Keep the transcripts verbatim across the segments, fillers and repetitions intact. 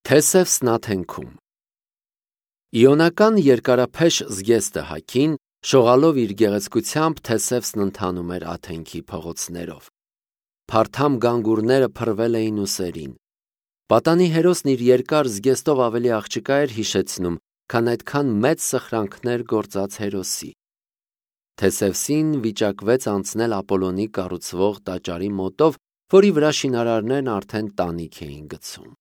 Թեսևսն աթենքում Իոնական երկարափեշ զգեստը հագին, շողալով իր գեղեցկությամբ Թեսևսն ընթանում էր աթենքի փողոցներով։ Փարթամ գանգուրները փռվել էին ուսերին։ Պատանի հերոսն իր երկար զգեստով ավելի աղջկա էր հիշեցնում, քան այդքան մեծ սխրանքներ գործած հերոսի։ Թեսևսին վիճակվեց անցնել Ապոլոնի կառուցվող տաճարի մոտով, որի վրա շինարարներն արդեն տանիք էին գցում։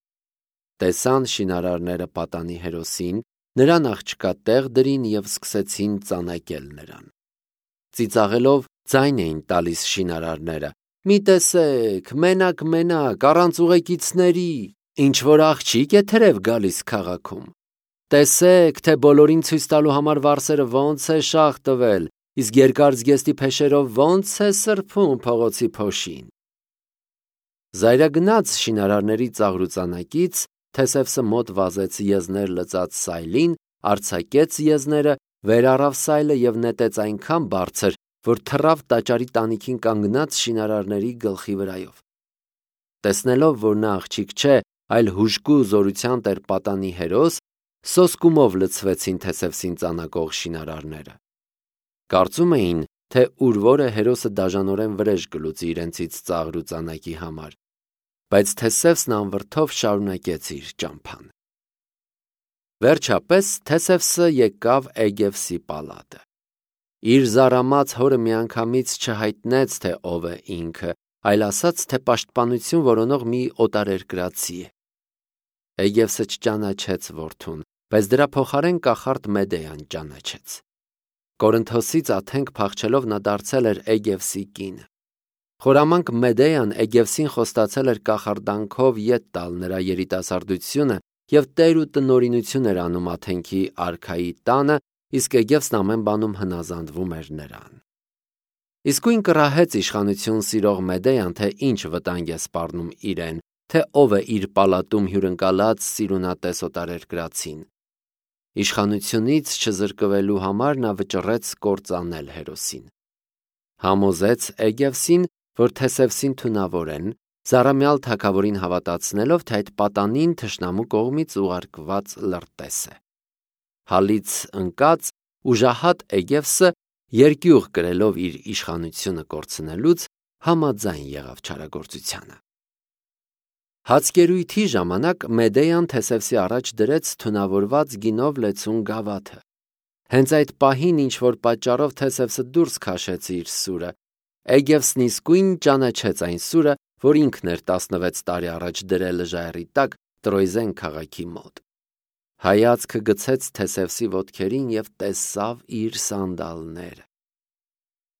Տեսան շինարարները պատանի հերոսին, նրան աղջկա տեղ դրին և սկսեցին ծանակել նրան։ Ծիծաղելով ձայն էին տալիս շինարարները. «Մի տեսեք, մենակ-մենակ, առանց ուղեկիցների, ինչ-որ աղջիկ է թրև գալիս քաղաքում։ Տեսեք, թե բոլորին ցույց տալու համար վարսերը ոնց է շաղ տվել, իսկ երկար զգեստի փեշերով ոնց է սրբում փողոցի փոշին»։ Զայրագնաց շինարարների ծաղրուծանակից Թեսևսը մոտ վազեց եզներ լծած սայլին, արձակեց եզները, վեր առավ սայլը և նետեց այնքան բարձր, որ թռավ տաճարի տանիքին կանգնած շինարարների գլխի վրայով։ Տեսնելով, որ նա աղջիկ չէ, այլ հուժկու զորության տեր պատանի հերոս, սոսկումով լցվեցին Թեսևսին ծանակող շինարարները։ Կարծում էին, թե ուրվորը հերոսը դաժանորեն վրեժ կլուծի իրենցից ծաղրուծանակի համար, բայց Թեսևսն անվրդով շարունակեց իր ճամփան։ Վերջապես Թեսևսը եկավ Էգևսի պալատը։ Իր զարամած հորը միանգամից չհայտնեց, թե ով է ինքը, այլ ասաց, թե պաշտպանություն որոնող մի օտարերկրացի է։ Էգևսը չճանաչեց որդուն, բայց դրա փոխարեն կախարդ Մեդեան ճանաչեց։ Կորինթոսից աթենք փախչելով նա դարձել էր Էգևսի կինը։ Խորամանկ Մեդեան Էգևսին խոստացել էր կախարդանքով ետ տալ նրա երիտասարդությունը և տեր ու տնօրինություն էր անում աթենքի արքայի տանը, իսկ Էգևսն ամեն բանում հնազանդվում էր նրան։ Իսկույն կռահեց իշխանություն սիրող Մեդեան, թե ինչ վտանգ է սպառնում իրեն, թե ով է իր պալատում հյուրընկալած սիրունատես օտարերկրացին։ Իշխանությունից չզրկվելու համար նա վճռեց կործանել հերոսին։ Համոզեց Էգևսին, որ Թեսևսին թունավորեն, զառամյալ թագավորին հավատացնելով, թե այդ պատանին թշնամու կողմից ուղարկված լրտես է։ Հալից ընկած ուժահատ Էգևսը, երկյուղ կրելով իր իշխանությունը կորցնելուց, համաձայն եղավ չարագործությանը։ Հացկերույթի ժամանակ Մեդեան Թեսևսի առաջ դրեց թունավորված գինով լեցուն գավաթը։ Հենց այդ պահին ինչ-որ պատճառով Թեսևսը դուրս քաշեց իր սուրը։ Էգևսն իսկույն ճանաչեց այն սուրը, որ ինքն էր տասնվեց տարի առաջ դրել ժայռի տակ Տրոյզեն քաղաքի մոտ։ Հայացքը գցեց Թեսևսի ոտքերին և տեսավ իր սանդալները։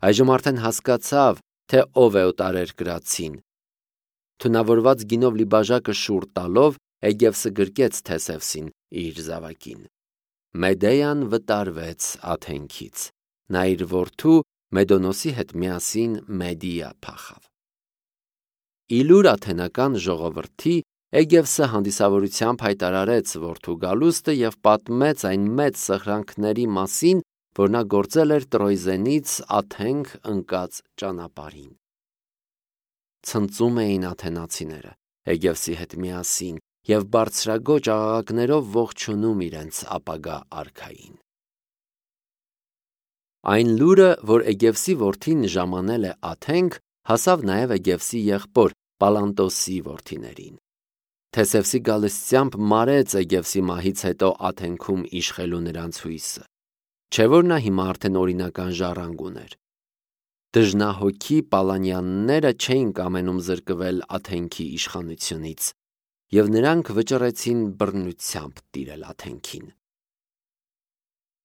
Այժմ արդեն հասկացավ, թե ով է օտարերկրացին։ Թունավորված գինով լի բաժակը շուռ տալով Էգևսը գրկեց Թեսևսին իր զավակին։ Մեդեան վտարվեց աթենքից։ Նա իր որդու Մեդոնոսի հետ միասին Մեդիա փախավ։ Իլուր աթենական ժողովրդի Էգևսը հանդիսավորությամբ հայտարարեց որդու գալուստը և պատմեց այն մեծ սխրանքների մասին, որ նա գործել էր Տրոյզենից աթենք ընկած ճանապարհին։ Ցնծում էին աթենացիները Էգևսի հետ միասին և բարձրագոճ աղաղակներով ողջունում իրենց ապագա արքային։ Այն լուրը, որ Էգևսի որդին ժամանել է աթենք, հասավ նաև Էգևսի եղբոր Պալանտոսի որդիներին։ Թեսևսի գալստությամբ մարեց Էգևսի մահից հետո աթենքում իշխելու նրանց հույսը։ Չէ՞ որ նա հիմա արդեն օրինական ժառանգ ուներ։ Դժնահոգի Պալանյանները չէին կամենում զրկվել աթենքի իշխանությունից, և նրանք վճռեցին բռնությամբ տիրել աթենքին։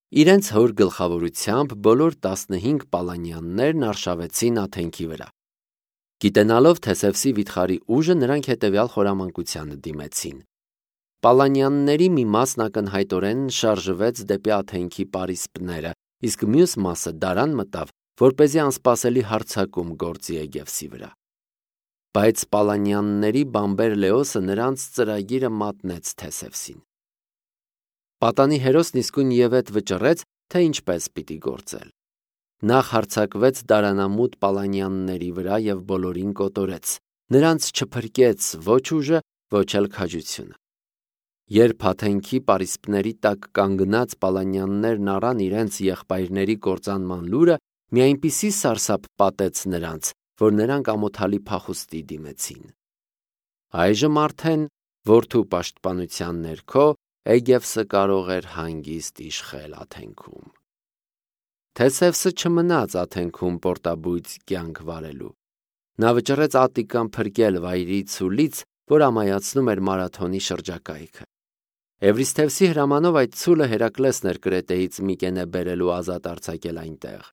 Իրենց հոր գլխավորությամբ բոլոր տասնհինգ Պալանյաններն արշավեցին աթենքի վրա։ Գիտենալով Թեսևսի վիթխարի ուժը, նրանք հետևյալ խորամանկությանը դիմեցին։ Պալանյանների մի մասն ակնհայտորեն շարժվեց դեպի աթենքի պարիսպները, իսկ մյուս մասը դարան մտավ, որպեսզի անսպասելի հարձակում գործի Էգևսի վրա։ Բայց Պալանյանների բամբեր Լեոսը նրանց ծրագիրը մատնեց Թեսևսին։ Պատանի հերոսն իսկույն ևեթ վճռեց, թե ինչպես պիտի գործել։ Նախ հարձակվեց դարանամուտ Պալանյանների վրա և բոլորին կոտորեց, նրանց չփրկեց ոչ ուժը, ոչ էլ քաջությունը։ Երբ Աթենքի պարիսպների տակ կանգնած պալանյաններն առան իրենց եղբայրների կործանման լուրը, մի այնպիսի սարսափ պատեց նրանց, որ նրանք ամոթալի փախուստի դիմեցին։ Այժմ արդեն որդու պաշտպանության ներքո Էգևսը կարող էր հանգիստ իշխել Աթենքում։ Թեսևսը չմնաց Աթենքում պորտաբույծ կյանք վարելու։ Նա վճռեց Ատտիկան փրկել վայրի ցուլից, որ ամայացնում էր մարաթոնի շրջակայքը։ Էվրիսթևսի հրամանով այդ ցուլը Հերակլեսն էր Կրետեից Միկենե բերելու ազատ արձակել այնտեղ։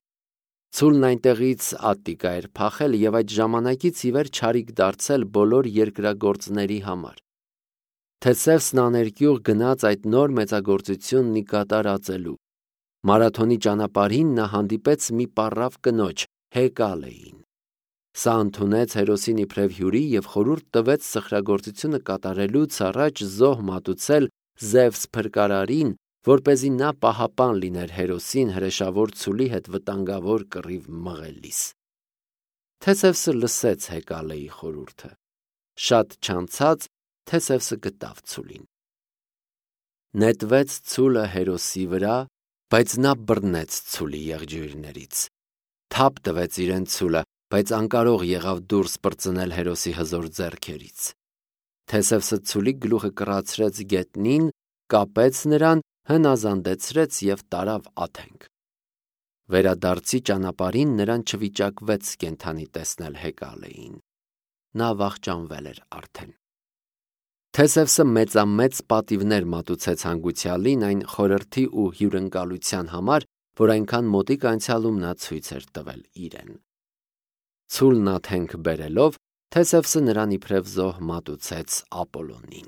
Ցուլն այնտեղից Ատտիկա էր փախել եւ այդ ժամանակից ի վեր չարիք դարձել բոլոր երկրագործների համար։ Թեսևսն աներկյուղ գնաց այդ նոր մեծագործությունն ի կատարածելու։ Մարաթոնի ճանապարհին նա հանդիպեց մի պառավ կնոջ՝ Հեկալեին։ Սա ընդունեց Հերոսին իբրև հյուրի եւ խորհուրդ տվեց սխրագործությունը կատարելուց առաջ զոհ մատուցել Զևս փրկարարին, որպեսզի նա պահապան լիներ Հերոսին հրեշավոր ցուլի հետ վտանգավոր կռիվ մղելիս։ Թեսևսը լսեց Հեկալեի խորհուրդը։ Շատ չանցած Թեսևսը գտավ ցուլին։ Նետվեց ցուլը Հերոսի վրա, բայց նա բռնեց ցուլի եղջյուրներից։ Թափ տվեց իրեն ցուլը, բայց անկարող եղավ դուրս պրծնել Հերոսի հզոր ձեռքերից։ Թեսևսը ցուլի գլուխը կռացրեց գետնին, կապեց նրան, հնազանդեցրեց եւ տարավ Աթենք։ Վերադարձի ճանապարհին նրան չվիճակվեց կենդանի տեսնել Հեկալեին։ Նա վախճանվել էր արդեն։ Թեսևսը մեծամեծ պատիվներ մատուցեց հանգուցյալին այն խորհրդի ու հյուրընկալության համար, որ այնքան մոտիկ անցյալում նա ցույց էր տվել իրեն։ Ցուլն Աթենք բերելով, Թեսևսը նրան իբրև զոհ մատուցեց Ապոլոնին։